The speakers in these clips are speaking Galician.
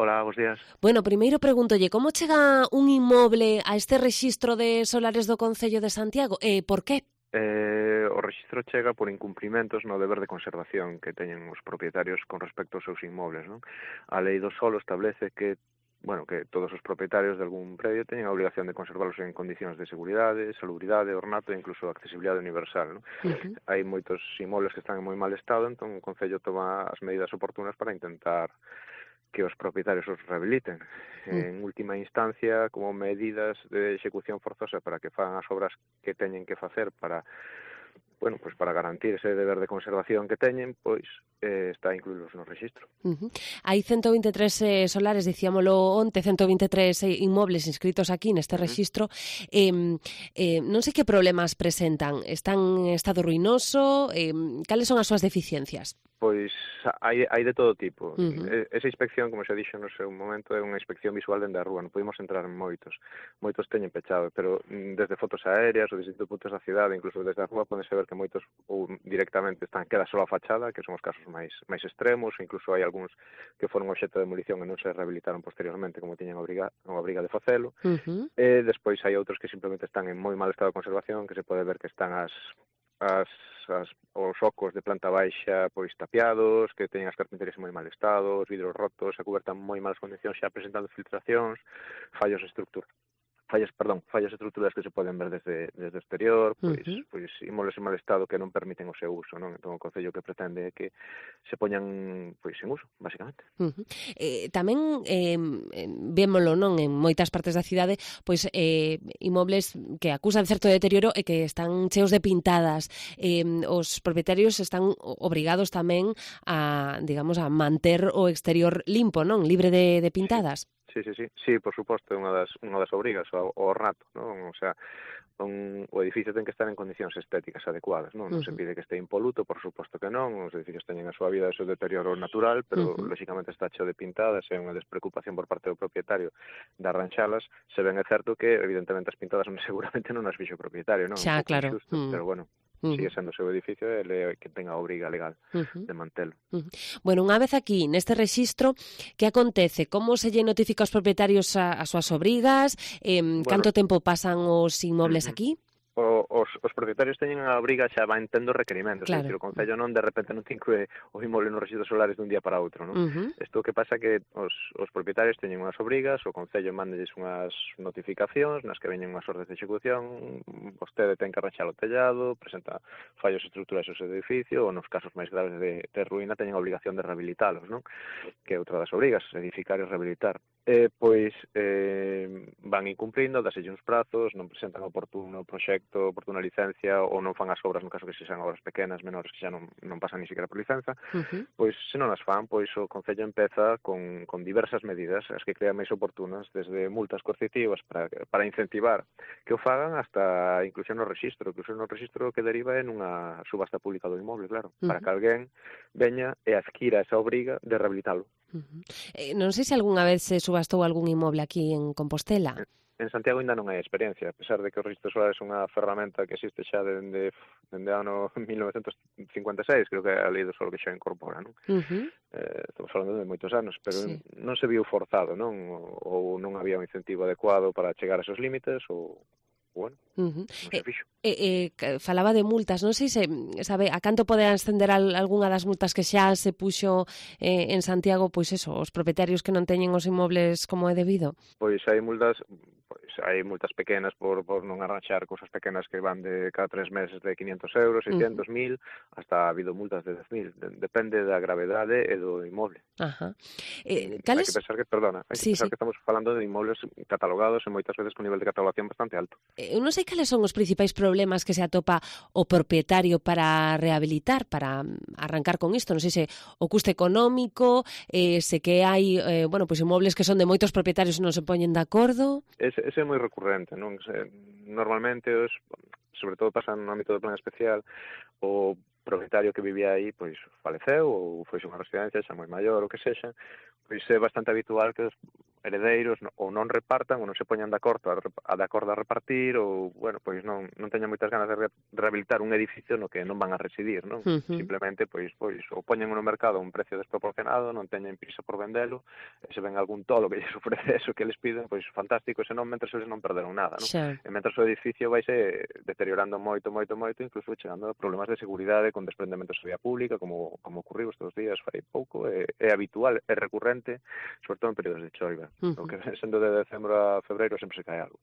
Hola, bos días. Bueno, primeiro pregúntolle, como chega un inmoble a este rexistro de solares do Concello de Santiago e por qué? O rexistro chega por incumprimentos no deber de conservación que teñen os propietarios con respecto aos seus inmobles, non? A lei do solo establece que todos os propietarios de algún predio teñen a obligación de conservalos en condicións de seguridade, salubridade, ornato e incluso accesibilidade universal, non? Hai moitos inmobles que están en moi mal estado, entón o Concello toma as medidas oportunas para intentar que os propietarios os rehabiliten. En última instancia, como medidas de execución forzosa para que fagan as obras que teñen que facer para para garantir ese deber de conservación que teñen, está incluídos no rexistro. Hai 123 solares, dicíamolo onte, 123 inmobles inscritos aquí neste rexistro. Non sei que problemas presentan. Están en estado ruinoso? Cales son as súas deficiencias? Pois hai de todo tipo. Esa inspección, como xa dixo no seu momento, é unha inspección visual dende a rúa, non podemos entrar en moitos teñen pechado, pero desde fotos aéreas ou distintos puntos da cidade, incluso desde a rúa, podense ver que moitos ou directamente queda só a fachada, que son os casos máis extremos, incluso hai algúns que foron obxecto de demolición e non se rehabilitaron posteriormente como tiñan a obriga de facelo, e despois hai outros que simplemente están en moi mal estado de conservación, que se pode ver que están os ocos de planta baixa tapiados, que teñen as carpinterías en moi mal estado, os vidros rotos, a cuberta en moi malas condicións, xa presentando filtracións, fallas estruturais que se poden ver desde o exterior, inmobles en mal estado que non permiten o seu uso, non? Entón o Concello que pretende é que se poñan en uso, basicamente. Tamén vémolo, non, en moitas partes da cidade, inmobles que acusan certo deterioro e que están cheos de pintadas. Os propietarios están obrigados tamén a, digamos, a manter o exterior limpo, non, libre de pintadas. Sí, por suposto, é unha das obrigas, o ornato, non? O sea, o edificio ten que estar en condicións estéticas adecuadas, non? Non se pide que este impoluto, por suposto que non, os edificios teñen a súa vida e o seu deterioro natural, pero lóxicamente está cheo de pintadas, é unha despreocupación por parte do propietario de arranxalas, se ben é certo que, evidentemente, as pintadas seguramente non as fixo o propietario, non? Xa, claro. Pero sigue sendo o seu edificio e ele que tenga a obriga legal de mantelo. Bueno, unha vez aquí, neste rexistro, que acontece? Como se lle notifica aos propietarios as súas obrigas? Canto tempo pasan os inmobles aquí? Os propietarios teñen a obriga, xa van tendo requerimentos, claro. É dicir, o Concello non de repente non te inclúe o inmoble nos rexistros solares dun día para outro, non? Isto que pasa que os propietarios teñen unhas obrigas, o Concello mandelles unhas notificacións nas que veñen unhas ordes de execución, vostede ten que arranxar o tellado, presenta fallos estruturais ao seu edificio, ou nos casos máis graves de ruína teñen a obligación de rehabilitalos, non? Que é outra das obrigas, edificar e rehabilitar. Van incumplindo, daselle uns prazos, non presentan oportuno proxecto, oportuna licencia, ou non fan as obras, no caso que sexan obras pequenas, menores, que xa non pasan ni siquiera por licenza, se non as fan, o Concello empeza con diversas medidas, as que crean máis oportunas, desde multas coercitivas para incentivar que o fagan, hasta inclusión no rexistro, que deriva en unha subasta pública do inmoble, claro, para que alguén veña e adquira esa obriga de rehabilitalo. Non sei se algunha vez se subastou algún inmoble aquí en Compostela. En Santiago ainda non hai experiencia, a pesar de que o rexistro solar é unha ferramenta que existe xa dende ano 1956, creo que é a lei do solo que xa incorpora, non? Estamos falando de moitos anos, pero non se viu forzado, non? Ou non había un incentivo adecuado para chegar a esos límites, ou non se fixo. Falaba de multas, non sei se sabe a canto pode ascender algunha das multas que xa se puxo en Santiago, os propietarios que non teñen os inmobles como é debido. Hai multas pequenas por non arranxar cousas pequenas que van de cada 3 meses de 500 euros, 600, 1000, hasta ha habido multas de 10.000, depende da gravedade e do inmoble. Hai que pensar que estamos falando de inmobles catalogados e moitas veces con nivel de catalogación bastante alto. Eu non sei cales son os principais problemas que se atopa o propietario para rehabilitar, para arrancar con isto. Non sei se o custe económico, se que hai inmobles que son de moitos propietarios e non se poñen de acordo. Ese é moi recurrente, non? Normalmente, sobre todo pasa no ámbito do plan especial, o propietario que vivía aí faleceu ou foi unha residencia xa moi maior, o que sexa, é bastante habitual que heredeiros ou non repartan ou non se poñan de acordo a repartir ou, bueno, pois non teñan moitas ganas de rehabilitar un edificio no que non van a residir, non? Simplemente, pois ou poñen no mercado a un precio desproporcionado, non teñen prisa por vendelo, e se ven algún tolo que lles ofrece eso que les piden, pois fantástico, senón mentres eles non perderon nada, non? E mentres o edificio vaise deteriorando moito, incluso chegando a problemas de seguridade con desprendementos de vía pública, como ocurriu estes días fai pouco, é habitual, é recurrente, sobre todo en períodos de choiva. O que sendo de decembro a febreiro sempre se cae algo.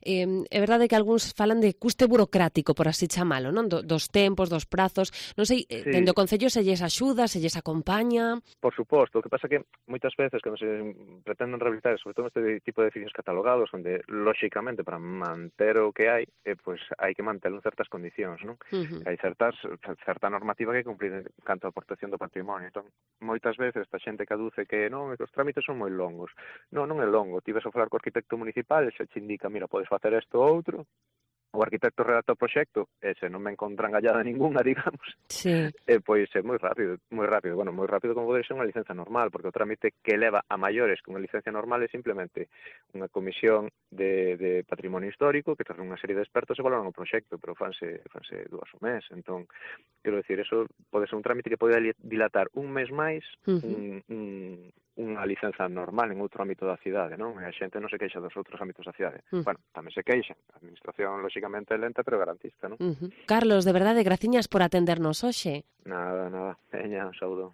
É verdade que algúns falan de custe burocrático, por así chamalo, non? Dos tempos, dos prazos, non sei, dende o Concello se lles axuda, se lles acompaña... Por suposto, o que pasa que moitas veces cando se pretenden rehabilitar, sobre todo este tipo de edificios catalogados, onde, lóxicamente, para manter o que hai, pois hai que mantelo en certas condicións, non? Hai certa normativa que cumplir en canto a protección do patrimonio. Entón, moitas veces esta xente que aduce que non, que os trámites son moi longos. Non é longo. Ti vas a falar co arquitecto municipal e se te indica, mira, podes facer isto ou outro, o arquitecto redacta o proxecto e se non me encontran gallada ninguna, digamos, pois é moi rápido, bueno, moi rápido como pode ser unha licencia normal, porque o trámite que leva a maiores que unha licencia normal é simplemente unha comisión de patrimonio histórico que tras unha serie de expertos se valoran o proxecto, pero fanse 2 ao mes. Entón, quero dicir, eso pode ser un trámite que pode dilatar un mes máis unha licenza normal en outro ámbito da cidade, non? E a xente non se queixa dos outros ámbitos da cidade. Bueno, tamén se queixan. A administración, lóxicamente, é lenta, pero garantista, non? Carlos, de verdade, graciñas por atendernos hoxe. Nada. Veña, un saúdo.